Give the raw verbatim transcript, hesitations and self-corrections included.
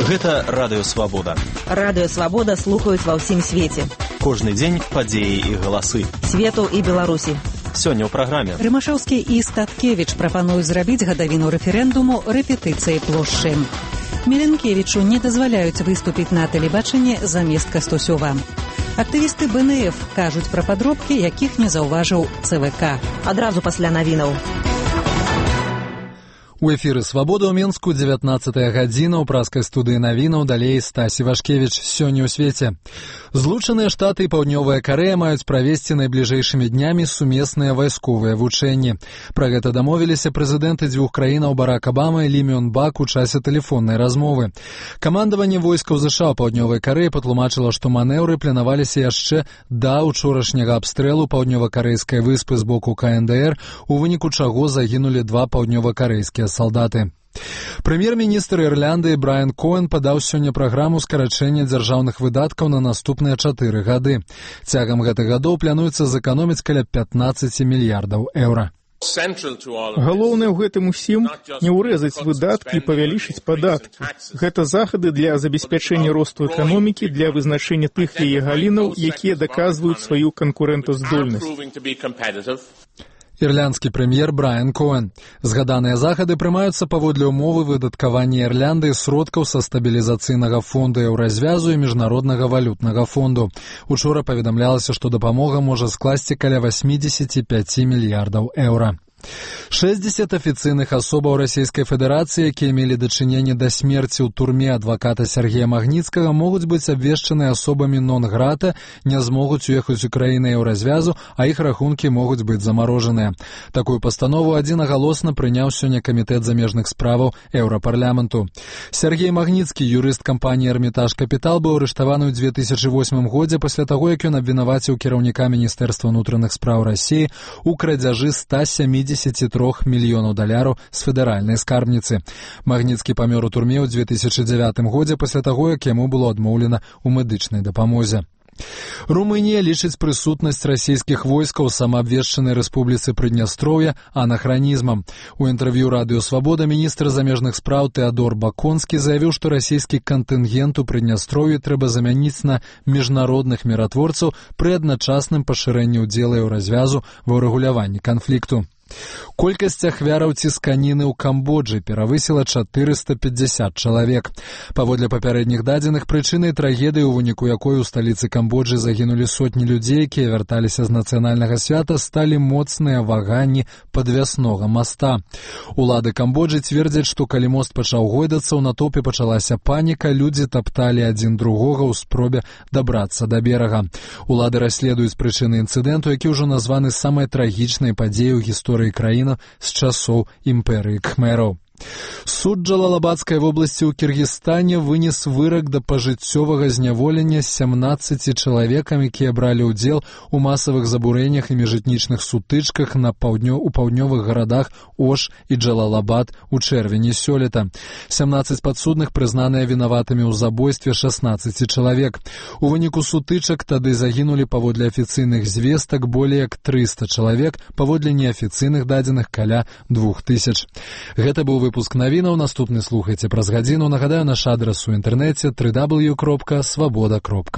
Гэта Радыё Свабода. Радыё Свабода слухаюць ва ўсім свеце. Кожны дзень падзеі і галасы. Свету і Беларусі. Сёння ў праграме. Рымашаўскі і Статкевіч прапануюць зрабіць гадавіну рэферэндуму рэпетыцыі плошчы. Міленкевічу не дазваляюць выступіць на тэлебачанні замест Кастусёва. Актывісты бэ эн эф кажуць пра падробкі, якіх не заўважыў цэ вэ ка. Адразу пасля навінаў. У эфіры «Свабода» ў Менску, дзевятнаццатая гадзіна, ў праскай студыі навінаў, далей Стась Івашкевіч. Сёння ў свеце. Злучаныя Штаты і Паўднёвая Карэя маюць правесці найбліжэйшымі днямі сумесныя вайсковыя вучэнні. Пра гэта дамовіліся прэзідэнты дзвюх краінаў Барак Абама і Лі Мён Бак у часе тэлефоннай размовы. Камандаванне войскаў ЗША ў Паўднёвай Карэі патлумачыла, што манеўры планаваліся яшчэ да учорашняга абстрэлу паўднёва-карэйскай выспы з боку ка эн дэ эр, у выніку чаго загінулі два паўднёва-карэйскія салдаты. Прэм'ер-міністр Ірландыі Брайан Коэн падаў сёння праграму скарачэння дзяржаўных выдаткаў на наступныя чатыры гады. Цягам гэтых гадоў плануецца зэканоміць каля пятнаццаць мільярдаў еўра. Галоўнае ў гэтым усім не ўрэзаць выдаткі і павялічыць падаткі. Гэта захады для забеспячэння росту эканомікі, для вызначэння тых яе галінаў, якія даказваюць сваю канкурэнтаздольнасць. Ірландскі прэм'ер Брайан Коэн. Згаданыя захады прымаюцца паводле ўмовы выдаткавання Ірландыі сродкаў са стабілізацыйнага фонду еўразвязу і міжнароднага валютнага фонду. Учора паведамлялася, што дапамога можа скласці каля васьмідзесят пяць мільярдаў еўра. шэсцьдзесят афіцыйных асобаў Расійскай Федэрацыі, якія мелі дачыненне да смерці ў турме адваката Сергея Магніцкага, могуць быць абвешчаны асобамі нон-грата, не змогуць уехаць у краіны еўразвязу, а іх рахункі могуць быць замарожаныя. Такую пастанову адзінагалосна прыняў сёння камітэт замежных справаў Еўрапарламенту. Сергей Магніцкі, юрыст кампаніі «Эрмітаж Капітал», быў арыштаваны ў дзве тысячы восьмым годзе пасля таго, як ён абвінаваціў кіраўніка Міністэрства ўнутраных спраў Расіі у крадзяжы ста сямідзесяці трох мільёнаў даляраў з федэральнай скарбніцы. Магніцкі памёр у турме ў дзве тысячы дзявятым годзе пасля таго, як яму было адмоўлена ў медычнай дапамозе. Румынія лічыць прысутнасць расійскіх войскаў у самаабвешчанай рэспубліцы Прыднястроўя анахранізмам. У інтэрв'ю Радыё Свабода міністр замежных спраў Тэадор Баконскі заявіў, што расійскі кантынгент у Прыднястроўі трэба замяніць на міжнародных міратворцаў пры адначасным пашырэнні ўдзела еўразвязу ва ўрэгуляванні канфлікту. Колькасць ахвяраў цісканіны ў Камбоджы перавысіла чатырыста пятьдесят чалавек. Паводле папярэдніх дадзеных, прычынай трагедыі, у выніку якой у сталіцы Камбоджы загінулі сотні людзей, якія вярталіся з нацыянальнага свята, сталі моцныя ваганні падвяснога моста. Улады Камбоджы цвердзяць, што калі мост пачаў гойдацца, у натоўпе пачалася паніка, людзі тапталі адзін другога ў спробе дабрацца да берага. Улады расследуюць прычыны інцыдэнту, які ўжо названы самай трагічнай падзеяй у гісторыі краіны з часоў імперыі кхмераў. Суд Джалалабадскай вобласці ў Кіргізстане вынес вырак да пажыццёвага зняволення сямнаццаці чалавекам, якія бралі ўдзел у масавых забурэннях і міжэтнічных сутычках на паўднё у паўднёвых гарадах Ош і Джалалабад у чэрвені сёлета. сямнаццаць падсудных прызнаныя вінаватымі ў забойстве шаснаццаці чалавек. У выніку сутычак тады загінулі паводле афіцыйных звестак болей як трыста чалавек, паводле неафіцыйных дадзеных каля двух тысяч. Гэта быў выпуск навінаў, наступны слухайце праз гадзіну. Нагадаю, наш адрас у інтэрнэце дабл ю дабл ю дабл ю кропка свабода кропка